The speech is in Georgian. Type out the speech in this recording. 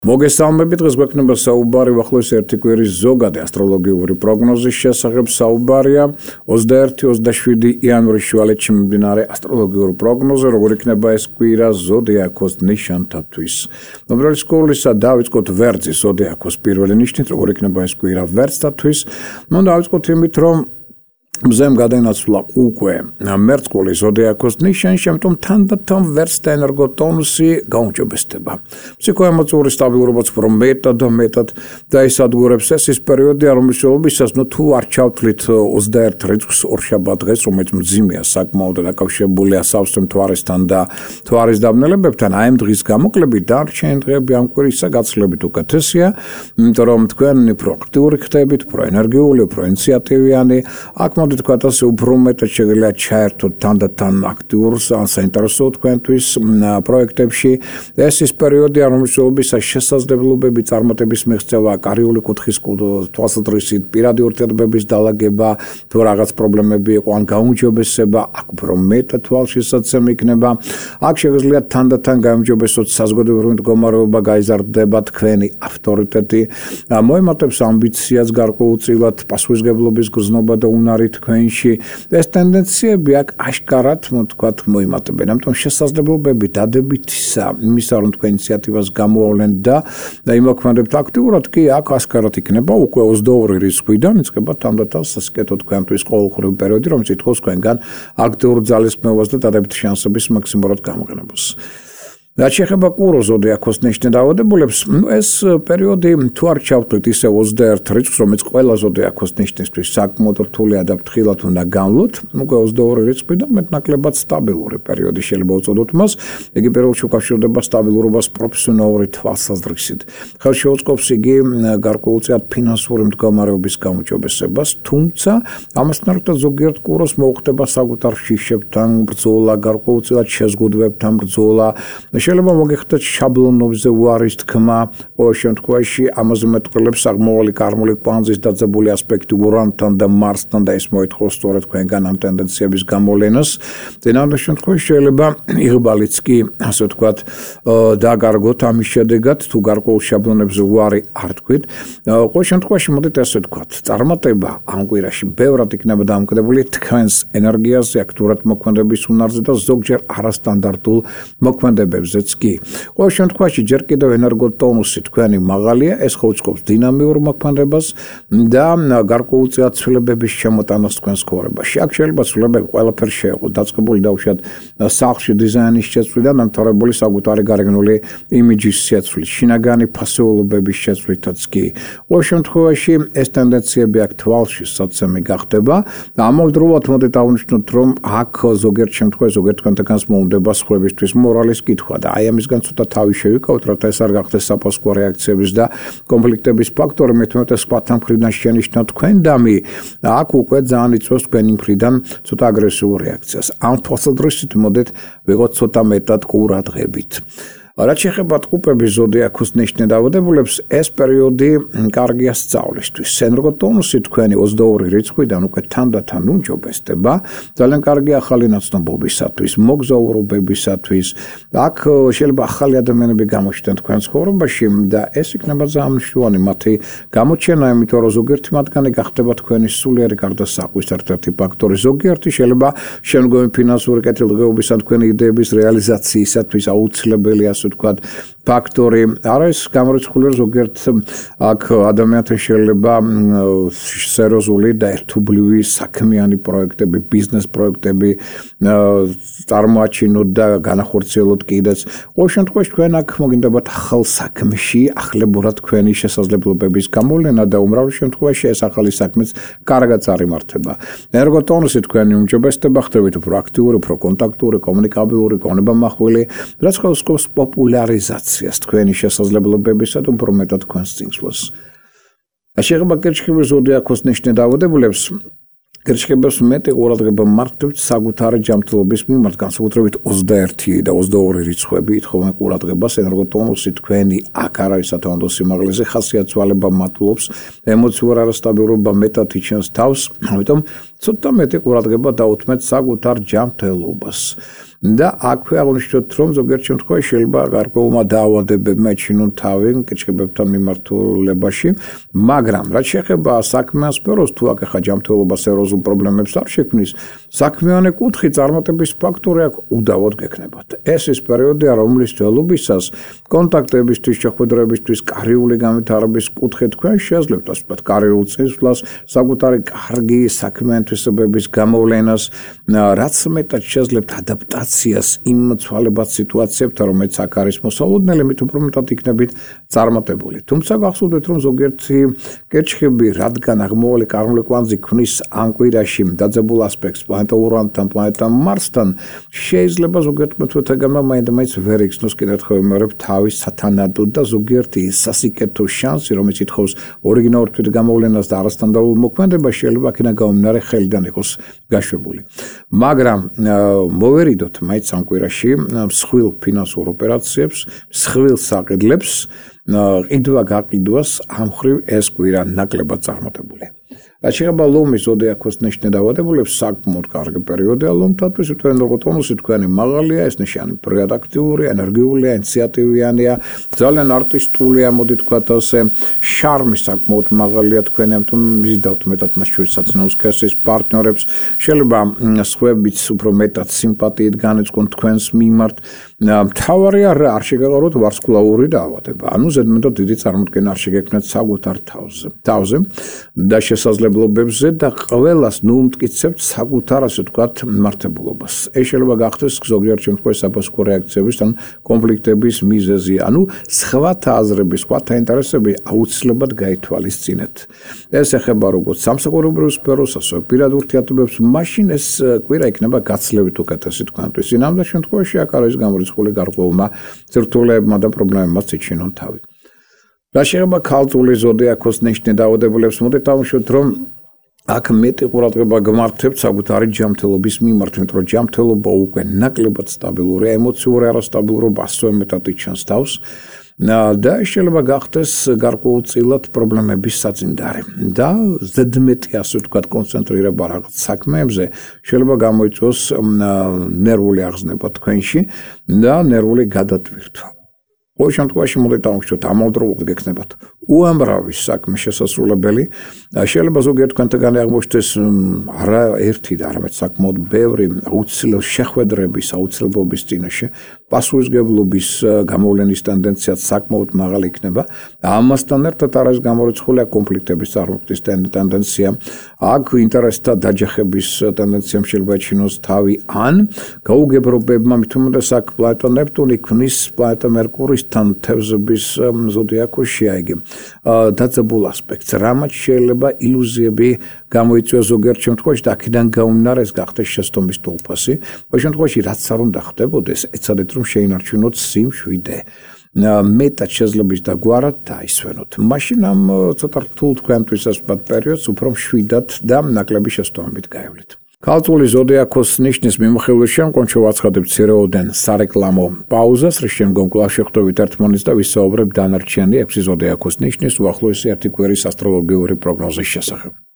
მოგესალმებით, დღეს გვექნება საუბარი ახლოს ერთი კვირის ზოგადი ასტროლოგიური პროგნოზის შესახებ. საუბარია 21-27 იანვრის შუალედში მიმდინარე ასტროლოგიურ პროგნოზე, როგორ იქნება ეს კვირა ზოდიაქოს ნიშანთათვის. ნომრელი სკოლისა დავიწყოთ ვერძის ზოდიაქოს პირველი ნიშნით, როგორ იქნება ეს კვირა ვერძთათვის. დავიწყოთ იმით, რომ მზემ გადაინაცვლა უკვე მერწყული ზოდიაქოს ნიშანში, ამიტომ თანდათან ვერძთა ენერგოტონუსი გაუმჯობესდება. ფსიქოემოციური სტაბილურობაც უფრო მეტად დაისადგურებს. ეს ის პერიოდია, რომლის შენობისას თუ არ ჩავთვლით 21 რიცხვს ორშაბათ დღეს, რომელიც მძიმეა საკმაოდ და დაკავშირებულია სავსე მთვარესთან და მთვარის დაბნელებებთან, აი ამ დღის გამოკლებით დარჩენილი დღეები ამ კვირისა გაცილებით უკეთესია, იმიტომ რომ თქვენ უფრო აქტიური ხდებით, უფრო ენერგიული, უფრო ინიციატივიანი, აქ თქვათ ასე უფრო მეტად შეგიძლიათ ჩაერთოთ თანდათან აქტიურს ან საინტერესო თქვენთვის პროექტებში. ეს ის პერიოდია, რომლის შენობისას შესაძლებლობები წარმატების მიღწევა, კარიული კუთხის თვალსაზრისით, პირადი ურთიერთობების დალაგება, თუ რაღაც პრობლემები იყო ან გაუმჯობესება, აქ უფრო მეტად თვალშისაცემი იქნება. აქ შეგიძლიათ თანდათან გაუმჯობესოთ საზოგადოებრივი მდგომარეობა, გაიზარდება თქვენი ავტორიტეტი, მოემართებს ამბიციას გარკვეულწილად, პასუხისმგებლობის გრძნობა და უნარი თქვენში. ეს ტენდენციები აქ აშკარად თქვათ მოიმატებენ. ამიტომ შესაძლებლობები დადებითისა, იმისა რომ თქვენ ინიციატივას გამოავლენთ და იმოქმედებთ აქტიურად, კი აქ აშკარად იქნება უკვე 22 რიცხვიდან იწყება თანდათან სასიკეთო თქვენთვის ყოველდღიური პერიოდი, რომელიც ითხოვს თქვენგან აქტიურ ძალისხმევას და დადებითი შანსების მაქსიმალურად გამოყენებას. რაც შეეხება კუროს ზოდიაქოს ნიშნით დაავადებულებს, ეს პერიოდი თუ არ ჩავთვლით ისე 21 რიცხვს, რომელიც ყველა ზოდიაქოს ნიშნისთვის საკმაოდ რთულია და ფრთხილად უნდა განვლოთ, უკვე 22 რიცხვიდან მეტნაკლებად სტაბილური პერიოდი შეიძლება უწოდოთ მას. იგი პირველში უკავშირდება სტაბილურობას პროფესიონალური თვალსაზრისით. ხელში უწყობს იგი გარკვეულწილად ფინანსური მდგომარეობის გამოჯობესებას, თუმცა ამასთან ერთად ზოგიერთ კუროს მოუხდება საკუთარ შიშებთან ბრძოლა, გარკვეულწილად შეზღუდვებთან ბრძოლა. შეიძლება მოგეხდეთ შაბლონებზე უარის თქმა, ყოველ შემთხვევაში ამაზე მეტყველებს აღმავალი კარმული კვანძის დაძაბული ასპექტი ურანთან და მარსთან და ეს მოითხოვს სწორედ თქვენგან ამ ტენდენციების გამოვლენას. წინააღმდეგ შემთხვევაში შეიძლება იღბალიც კი, ასე ვთქვათ, დაგარგოთ ამის შედეგად, თუ გარკვეულ შაბლონებზე უარი არ თქვით. ყოველ შემთხვევაში მოდით ასე ვთქვათ, წარმატება ამ კვირაში ბევრად იქნება დამოკიდებული თქვენს ენერგიაზე, აქტიურად მოქმედების უნარზე და ზოგჯერ არასტანდარტულ მოქმედებებზე. ყოველ შემთხვევაში ჯერ კიდევ ენერგოტონუსი თქვენი მაღალია, ეს ხოუწყობს დინამიურ მოქმედებას და გარკვეულწილად ცვლილებების შემოტანას თქვენს ცხოვრებაში. აქ შეიძლება ცვლილებები ყველაფერს შეეღოთ, დაწყებული დაუშვათ სახლში დიზაინის შეცვლიდან დამთავრებული საკუთარი გარეგნული იმიჯის შეცვლით, შინაგანი ფასეულობების შეცვლითაც კი. ყოველ შემთხვევაში ეს ტენდენციები აქ თვალში საცემი გახდება და ამავდროულად მოდით აღნიშნოთ, რომ აქ ზოგიერთ შემთხვევაში ზოგიერთ თქვენთანაც მოუნდება სხვებისთვის მორალის კითხვა. და აი ამისგან ცოტა თავი შევიკავოთ, რათა ეს არ გახდეს საფასკო რეაქციების და კონფლიქტების ფაქტორი, მეტ სხვათა მხრიდან შენიშნოთ თქვენ დამი, აქ უკვე ძალიან იწვევს თქვენი მხრიდან ცოტა აგრესიულ რეაქციას. ამ თვალსაზრისით მოდით ვიღოთ ცოტა მეტად ყურადღებით. რაც შეეხება ტყუპების ზოდიაქოს ნიშნით დაავადებულებს, ეს პერიოდი კარგია სწავლისთვის. ენერგოტონუსი თქვენი 22 რიცხვიდან უკვე თანდათან უმჯობესდება. ძალიან კარგი ახალი ნაცნობობისათვის, მოგზაურობებისათვის. აქ შეიძლება ახალი ადამიანები გამოჩნდნენ თქვენ ცხოვრებაში და ეს იქნება ძალიან მნიშვნელოვანი მათი გამოჩენა, იმიტომ რომ ზოგიერთი მათგანი გახდება თქვენი სულიერი გარდასახვის ერთ-ერთი ფაქტორი. ზოგიერთი შეიძლება შემდგომი ფინანსური კეთილდღეობის ან თქვენი იდეების რეალიზაციისათვის აუცილებელია ვთქვათ, ფაქტორი არის გამორიცხული ზოგიერთ აქ ადამიანთა შეიძლება სერიოზული და ერთობლივი საქმიანი პროექტები, ბიზნეს პროექტები წარმოაჩინოთ და განახორციელოთ კიდეც. ყოველ შემთხვევაში თქვენ აქ მოგინდებათ ახალ საქმეში ახლებურად თქვენი შესაძლებლობების გამოვლენა და უმრავლეს შემთხვევაში ეს ახალი საქმეც კარგად წარიმართება. ენერგოტონუსი თქვენი უმჯობესდება, ხდებით უფრო აქტიური, უფრო კონტაქტური, კომუნიკაბილური, გონებამახვილი, რაც ხელს პოპულარიზაციას თქვენი შესაძლებლობებისა და უფრო მეტად თქვენს წინსვლას. შეეხება კირჩხიბის ზოდიაქოს ნიშნით დაავადებულებს, კირჩხიბებს მეტი ყურადღება მართებთ საკუთარი ჯანმრთელობის მიმართ, განსაკუთრებით 21 და 22 რიცხვები ითხოვენ ყურადღებას. ენერგოტონუსი თქვენი აქ არის სათვალო სიმაღლეზე, ხასიათვალება მატულობს, ემოციურ არასტაბილურობა მეტად იჩენს თავს, ამიტომ ცოტა მეტი ყურადღება დაუთმეთ საკუთარ ჯანმრთელობას. და აქვე აღნიშნოთ, რომ ზოგიერთ შემთხვევაში შეიძლება გარკვეულმა დაავადებებმა ეჩინონ თავი კიჩხიბებთან მიმართულებაში, მაგრამ რაც შეეხება საქმიან სფეროს, თუ აქ ახლა ჯანმრთელობა სერიოზულ პრობლემებს არ შექმნის, საქმიანი კუთხით წარმატების ფაქტორი აქ უდავოდ გექნებათ. ეს ის პერიოდია, რომლის ძველობისას კონტაქტებისთვის, შეხვედრებისთვის, კარიული განვითარების კუთხით თქვენ შეძლებთ, ასე ვთქვათ, კარიულ წინსვლას, საკუთარი კარგი საქმიანი თვისებების გამოვლენას, რაც მეტად შეძლებთ ადაპტაციას იმ ცვალებად სიტუაციებთან, რომელიც აქ არის მოსალოდნელი, მით უფრო მეტად იქნებით წარმატებული. თუმცა გახსოვდეთ, რომ ზოგიერთი კერჩხები, რადგან აღმოვალი კარული კვანძი ქმნის ამ კვირაში დაძაბულ ასპექტს პლანეტა ურანთან, პლანეტა მარსთან, შეიძლება ზოგიერთ მეთოდებმა მაინც ვერ იგრძნოს კიდევ ერთხელ ვიმეორებ თავის სათანადოდ და ზოგიერთი სასიკეთო შანსი, რომელიც ითხოვს ორიგინალურ თვითგამოვლენას და არასტანდარტულ მოქმედებას, შეიძლება აქედან გამომდინარე ხელიდან იყოს გაშვებული. მაგრამ მოვერიდოთ მაინც ამ კვირაში მსხვილ ფინანსურ ოპერაციებს, მსხვილ საყიდლებს, ყიდვა-გაყიდვას ამ მხრივ ეს კვირა ნაკლებად წარმატებული. რაც შეეხება ლომის ზოდიაქოს ნიშნე დაავადებულებს, საკმაოდ კარგი პერიოდია ლომთათვის, თქვენ როგორ ტონუსი თქვენი მაღალია, ეს ნიშანი პროდუქტიურია, ენერგიულია, ინიციატივიანია, ძალიან არტისტულია, მოდი თქვათ ასე, შარმი საკმაოდ მაღალია თქვენი, ამიტომ მიზიდავთ მეტად მას შორის საცინაოს სქესის პარტნიორებს, შეიძლება სხვებიც უფრო მეტად სიმპათიით განეწყონ თქვენს მიმართ. მთავარია არ შეგეყაროთ ვარსკვლავური დაავადება, ანუ ზედმეტად დიდი წარმოდგენა არ შეგექმნათ საკუთარ თავზე და შესაძლებლობებზე და ყველას მტკიცებთ საკუთარ ასე ვთქვათ მართებულობას. ეს შეიძლება გახდეს ზოგიერთ შემთხვევაში საფოსტო რეაქციების ან კონფლიქტების მიზეზი, ანუ სხვათა აზრები, სხვათა ინტერესები აუცილებლად გაითვალისწინეთ. ეს ეხება როგორც სამსახურებრივ სფეროს, ასევე პირად ურთიერთობებს, მაშინ ეს კვირა იქნება გაცლებით უკეთესი თქვენთვის. ინამდვილ შემთხვევაში აქ არის გამორიცხული გარკვეულმა ცირთულებმა და პრობლემებმაც იჩინონ თავი. რაც შეეხება ქალწული ზოდიაქოს ნიშნე დაავადებულებს, მოდით დავუშვათ, რომ აქ მეტი ყურადღება გმართებთ საკუთარი ჯანმრთელობის მიმართ, იმიტომ რომ ჯანმრთელობა უკვე ნაკლებად სტაბილურია, ემოციური არასტაბილურობა ასევე მეტად იჩენს თავს და შეიძლება გახდეს გარკვეულწილად პრობლემების საძინდარი და ზედმეტი ასე ვთქვათ კონცენტრირება რაღაც საქმეებზე შეიძლება გამოიწვიოს ნერვული აღზნება თქვენში და ნერვული გადატვირთვა. ყოველ შემთხვევაში მოდით დავუშვათ, ამავდროულად გექნებათ უამრავი საქმე შესასრულებელი, შეიძლება ზოგიერთ თქვენთაგანი აღმოჩნდეს არა ერთი და არამედ საკმაოდ ბევრი აუცილებელი შეხვედრების აუცილებლობის წინაშე, პასუხისმგებლობის გამოვლენის ტენდენციაც საკმაოდ მაღალი იქნება. ამასთან ერთად არის გამორიცხული კონფლიქტების წარმოქმნის ტენდენცია, აქ ინტერესთა დაჯახების ტენდენციამ შეიძლება ეჩინოს თავი, ან გაუგებრობებმა, მით უმეტეს აქ პლანეტა ნეპტუნი ქმნის პლანეტა მერკურისთან თევზების ზოდიაქოში, აიგე დაძაბულ ასპექტს, რამაც შეიძლება ილუზიები გამოიწვიოს ზოგიერთ შემთხვევაში და აქედან გამომდინარე ეს გახდეს შეცდომის თვალსაზრისი. ყოველ შემთხვევაში რაც არ უნდა ხდებოდეს, ეცადეთ რომ შეინარჩუნოთ სიმშვიდე. მეტად შეძლების და გვარად დაისვენოთ. მაშინ ამ ცოტა რთულ თქვენთვის ასპად პერიოდს უფრო მშვიდად და ნაკლები შეცდომებით გაევლით. ქალწული ზოდიაქოს ნიშნის მიმოხილვის შემდგომ შევაცხადებთ მცირეოდენ სარეკლამო პაუზას, რის შემდგომ კვლავ შევხვდებით ერთმანეთს და ვისაუბრებთ დანარჩენი 6 ზოდიაქოს ნიშნის უახლოესი 1 კვირის ასტროლოგიური პროგნოზის შესახებ.